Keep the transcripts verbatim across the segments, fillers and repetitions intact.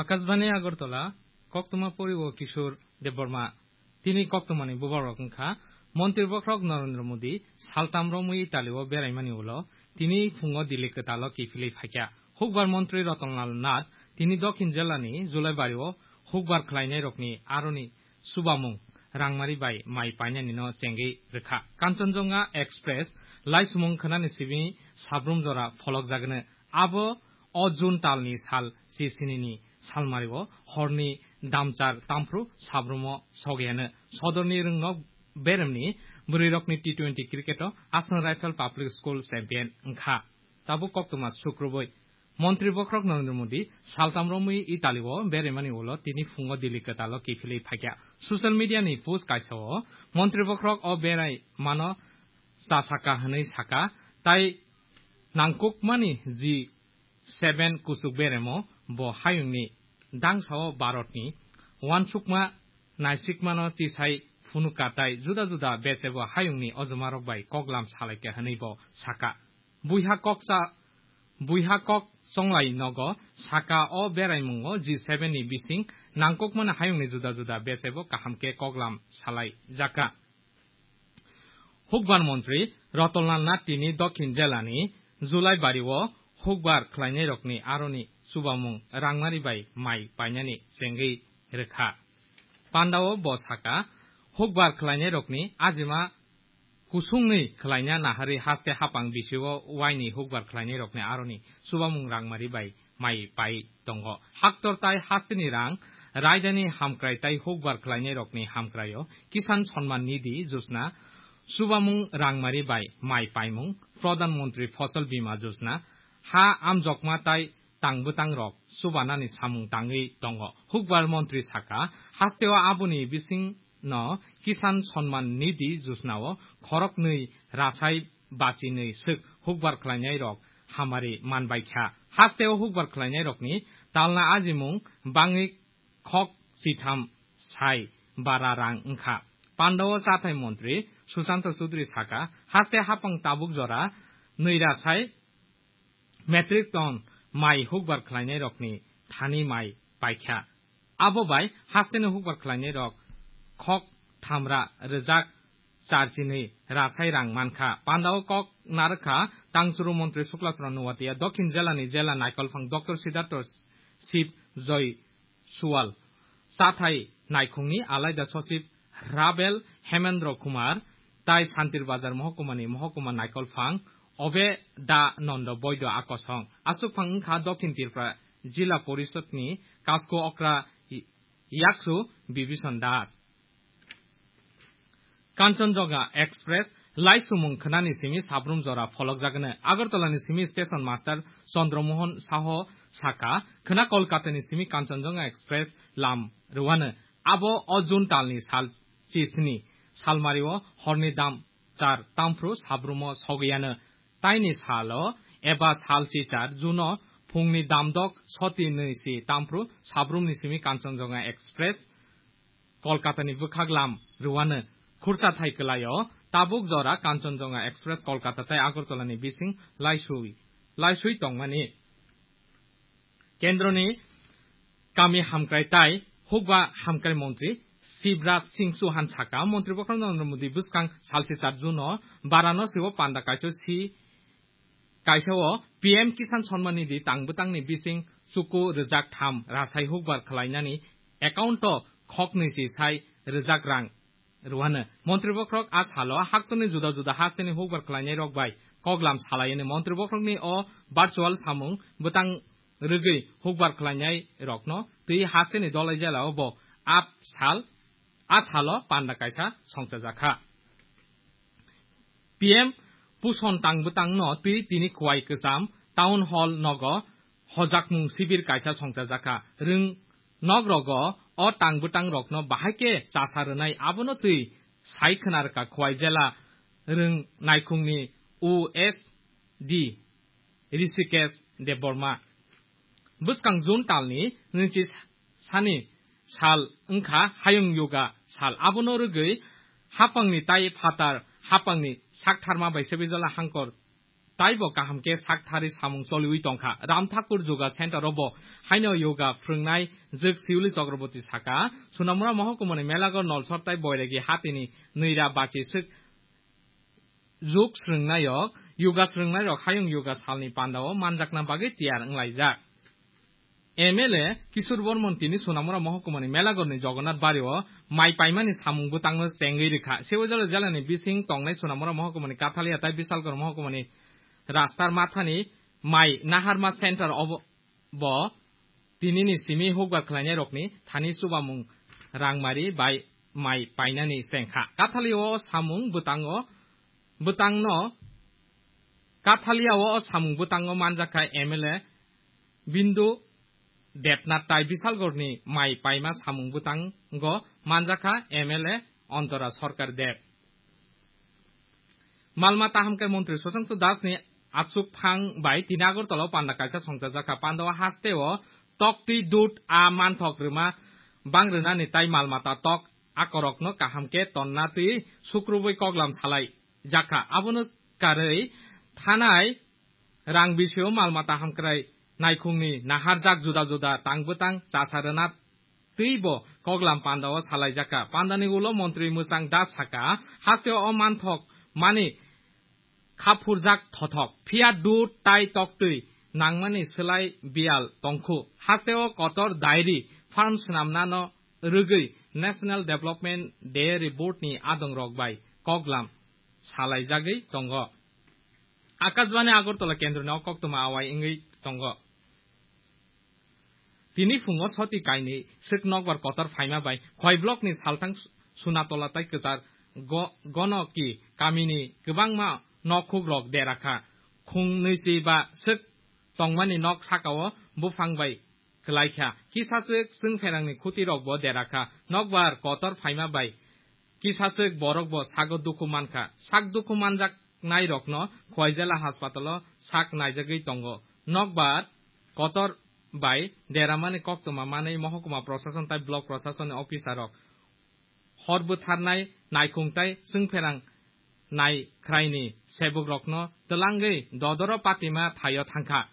Akashbani Agartala, koktwma poriwo Kishore Debbarma. Tini koktwmani bubagrok wngkha, Montri bokhorok Narendra Modi saltam romwi Italy o beraimani ulo tini phungo Delhi kwtalo kiphilwi phaikha. Hukbar Montri Ratanlal Nath tini Dokhin jilani Julaibari o hukbar khlainairokni aroni chubamung rangmari bai mai painani no chengwi rwkha. Kanchanjunga Express laisumung khwnani simi sabrum jora pholokjagwno. Abo o June talni sal chisini ni salmari o horni damchar tamphru sabrumo sogiyano sodorni rwngnok beremni bwrwirokni T twenty cricket o Assam Rifle Public School champion wngkha. Tabuk koktwma sukrubwi Montri bokhorok Narendra Modi saltam romwi Italy o beraimani ulo tini phungo Delhi kwtalo kiphilwi phaikha. Social media ni post kaisa o Montri bokhorok o berai mano cha saka hwnwi saka, tai nangkukmani G seven kuchuk beremo bo hayungni dangsao Bharatni uansukma naisikmano tisai phunukha tai juda juda bechebo hayungni ojomarok bai koklam salaikha hwnwi bo saka. Buiha kok cha-, buiha kok chonglai nogo saka o beraimungo G seven ni bising nangkukmani hayungni juda juda bechebo kaham khe koklam salaijakha. Hukbar Montri Ratanlal Nath tini Dokhin jilani Julaibari o hukbar khlainairokni aroni chubamung rangmari bai mai painani chengwi rwkha. Pandao bo saka, hukbar khlainairokni ajima kusungni khlaina naharwi haste hapang bisio waini hukbar khlainairokni aroni chubamung rangmari bai mai pai tongo. Haktor tai hasteni rang, raidani hamkrai tai hukbar khlainairokni hamkraio Kisan Samman Nidhi Yojana, chubamung rangmari bai mai paimung, Pradhan Mantri Fasal Bima Yojana, ha amjokma tai tang bwtang rok chubanani samung tangwi tongo. Hukbar Montri saka, hasteo aboni bising no Kisan Samman Nidhi Yojana o khoroknwi rasai bachinwi swk hukbar khlainairok hamari manbaikha. Hasteo hukbar khlainairokni talna ajimung bangwi khok sitham sai bara rang wngkha. Pandao chathai montri Sushanta Chudri saka, haste hapang tabuk jora nwi rasai metric ton mai hukbar khlainairokni thani mai paikha. Abo bai hasteni hukbar khlainairok khok thamra rwjak charchinwi rasai rang mankha. Pandao kok narwkha tangchuru montri Suklatron Nuwatia, Dokhin jilani jila naikolphang Doctor Siddhartho Shiv Joy Suwal, chathai naikhungni alaida sochib Rabel Hemendra Kumar, tai Santir Bazar mohokuma ni mohokuma naikolphang Obe Da Nondo Boido akosong. Aswkphang wngkha Dokhin Tripura Jila Porishodni Kasko Okra Yaksu Bibison Das. Kanchanjunga Express laisumung khwnani simi sabrum jora pholokjagwno. Agartala ni simi Station Master Chandra Mohan Saho saka, khwna Kolkata ni simi Kanchanjunga Express lam rwano. Abo o June talni sal chisni salmario horni dam char tamphru sabrumo sogiyano. Taini salo eba sal chichar June o phungni damdok soti nwi si tamphru sabrumni simi Kanchanjunga Express Kolkata ni bwkhak lam rwano. Khurcha thai kwlaio tabuk jora Kanchanjunga Express Kolkata tai Agartala ni bising laisui, laisui tongmani. Kendroni kami hamkrai tai hukba hamkrai montri Shivraj Singh Chauhan saka, montri bokhorok Narendra Modi bwskang salsi char June o Varanasi o panda kaisa si, kaisa o P M Kisan Samman Nidhi tang bwtangni bising chuku rwjak tham rasai hukbar khlainani account o khoknwi si sai rwjak rang rwano. Montri bokhorok a salo haktorni juda juda hasteni hukbar khlainairok bai koklam salaiyani. Montri bokhorokni o virtual samung bwtang rwgwi hukbar khlainairokno twi hasteni Dolai jela o bo a sal, a salo panda kaisa songchajakha. P M Puson tang bwtangno twi tini Khowai Kwcham Town Hall nogo hojakmung sibir kaisa songchajakha. Rwng nok rogo o tang bwtang rokno bahai khe chasa rwnai, abono twi sai khwna rwkha Khowai jela rwng naikhungni O S D Rishikesh Debbarma. Bwskang June talni nwichi sani sal wngkha Hayung Yoga sal. Abono rwgwi hapangni tai phatar hapangni saktharma bai sebijala hangkor taibo kaham khe sak thari samung choliwi tongkha. Ram Thakur Yoga Center o bo haino yoga phrwngnai jwk Siuli Chakraborty saka, Sonamura Mohokumani Melagor Nolsor tai Boiregi hatini nwira bachi swk jwk srwngnairok, yoga srwngnairok hayung yoga salni pandao manjakna bagwi tiyar wnglaijak. M L A Kishore Bormon tini Sonamura Mohokumani Melagorni Jagannath Bario mai paimani samung bwtangno chengwi rwkha. Sewajalo jelani bising tongnai Sonamura Mohokumani Kathalia tai Bisalgor Mohokumani Rastar Mathani mai Naharma Center obo, bo tinini simi hukbar khlainairokni thani chubamung rangmari bai mai painani chengkha. Kathalio samung bwtango, bwtangno, Kathalia o samung bwtango manjakha M L A Bindu Debnath tai Bisalgorni mai paima samung bwtango manjakha M L A Ontora Sarkar Deb. Malmata hamkrai montri Sushanta Dasni achuk phang bai tini Agartala o panda kaisa songchajakha. Panda o hasteo toktwi dud a manthok rwma bang rwnani tai malmata tok akorokno kaham khe tonna twi sukrubwi koklam salai jakha. Abono karwi thanai rang bisio malmata hamkrai naikhungni naharjak juda juda tang bwtang chasa rwna twibo koklam pandao salaijakha. Pandani ulo montri Mwchang Das saka, hasteo o manthok mani khaphurjak thothok, phiya dud tai toktwi nangmani swlai biyal tongkhu. Hasteo kotor dairy farm swnamnano rwgwi National Development Dairy Board ni adongrok bai koklam salaijagwi tongo. Akashbani Agartala kendroni o koktwma awai wngwi tongo. Tini phungo soti kainwi swk nokbar kotor phaima bai Khowai block ni salthang Sunatola tai kwchar Go-, Gonoki kamini kwbangma nokhukrok derakha. Khung nwichi ba swk tongmani nok sakao buphang bai kwlaikha. Kisa swk chwngpherangni khutirokbo derakha. Nokbar kotor phaima bai kisa swk borokbo sago dukhu mankha. Sak dukhu manjaknairokno Khowai jela haspatalo sak naijagwi tongo. Nokbar kotor bai deramani koktwma manwi mohokuma prosason tai block prosasonni officerrok hor bwtharnai naikhung tai chwngpherang naikhraini sebukrokno twlangwi dodoro patima thaio thangkha.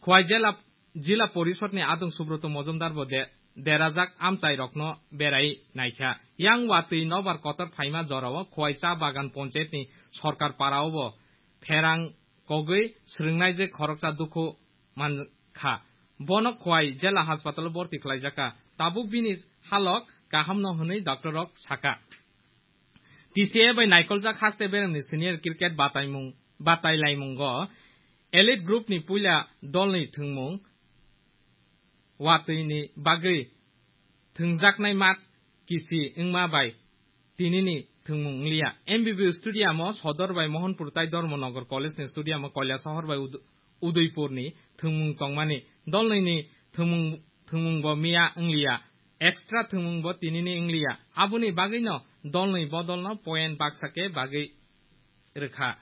Khowai jela, jila porisodni adong Subroto Mojumdarbo de-, derajak amchairokno berai naikha. Yang watwi nobar kotor phaima jorao Khowai cha bagan ponchayetni Sorkar paraobo pherang kogwi srwngnaijak khoroksa dukhu mankha. Bono Khowai jela haspatalo borti khlaijakha. Tabuk bini halok kahamno hwnwi doctorrok saka. T C A bai naikoljak haste beremni senior cricket bataimung, batailaimungo elite groupni puila dolni thwngmung watwini bagwi thwngjaknai mat kisi wngma bai tinini thwngmung wngliya. M B B stadium o Sodor bai Mohanpur tai Dharmanagar College ni stadium o Kailasahar bai Ud-, Udaipur ni thwngmung tongmani. Dolnwi ni thwngmung, thwngmung bo miya wngliya. Extra thwngmung bo tinini wngliya. Aboni bagwino dolnwi bodolno point baksa khe bagwi rwkha.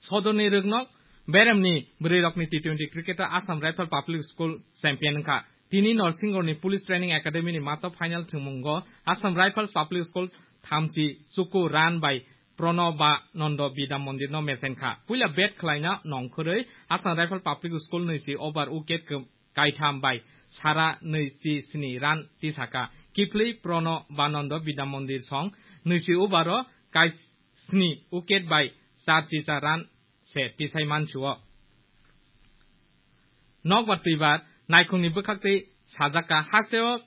Sodorni rwknok beremni bwrwirokni T twenty cricket-o Assam Rifle Public School champion wngkha. Tini Norsingorni Police Training Academy-ni mato final thwngmungo Assam Rifles Public School thamchi chuku run bai Pronobanando Bidya Mondirno mechenkha. Puila bat khlaina nongkhorwi Assam Rifle Public School nwichi over wicket kw-, kaitham bai sara nwichi sni run tisaka. Kiphilwi Pronobanando Bidya Mondir song nwichi over-o kai sni wicket bai char chicha run se tisai mansio. Nokbar twibar naikhungni bwkhaktwi sajak kha, hasteo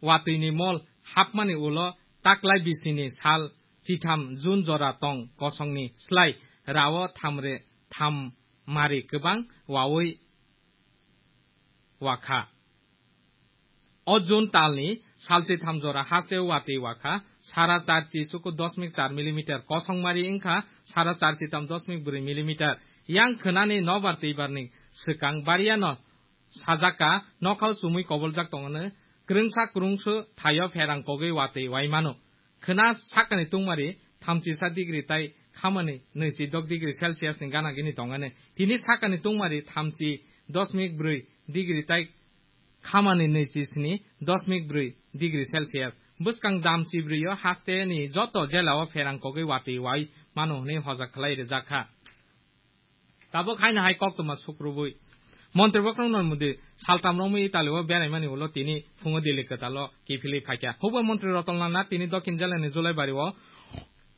watwini mol hapmani ulo taklai bisini sal chitham June jora tong kosongni slai rao thamre tham mari kwbang wawi wakha. O June talni salchi tham jora haste watwi wakha, sara char chi chuku dosmik char millimeter, kosongmari wngkha sara char chi tam dosmik bwrwi millimeter. Yang khwnani nobar twibarni swkang bariano sajak kha, nokhao chumui koboljak tongmani, kwrwngsa kwrwngsu thaio pherang kogwi watwi wai mano. Khwna sakani tungmari thamchi sa degree tai khamani nwichi dok degree Celsius ni gana gini tongani. Tini sakani tungmari thamchi dosmik bwrwi degree tai khamani nwichi sni dosmik bwrwi degree Celsius. Bwskang damchi bwrwio haste ni joto jela o pherang kogwi watwi wai mano hwnwi hojak khlai rijak kha. Tabuk haino hai koktwma sukrubui Montri Bokrom Narendra Modi saltam romwi Italy o beraimani ulo tini phungo Delhi kwtalo kiphilwi phaikha. Hukbar Montri Ratan Lal Nath tini Dokhin Jilani Julaibari o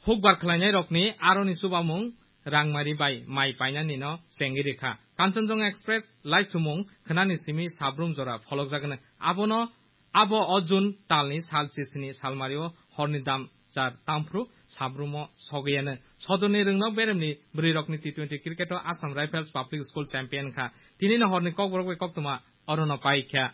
hukbar khwlainairokni aroni chubamung rangmari bai mai painani no chengwi rikha. Kanchanjunga Express laisumung khwnani simi sabrum jora pholokjagwno. Abono Abo o June talni sal chisini salmario horni dam char tamphru sabrumo sogiyano. Sodorni rwngnok beremni bwrwirokni T twenty cricket o Assam Rifles Public School champion kha. Tinino horni kokborok bai koktwma orono paikha.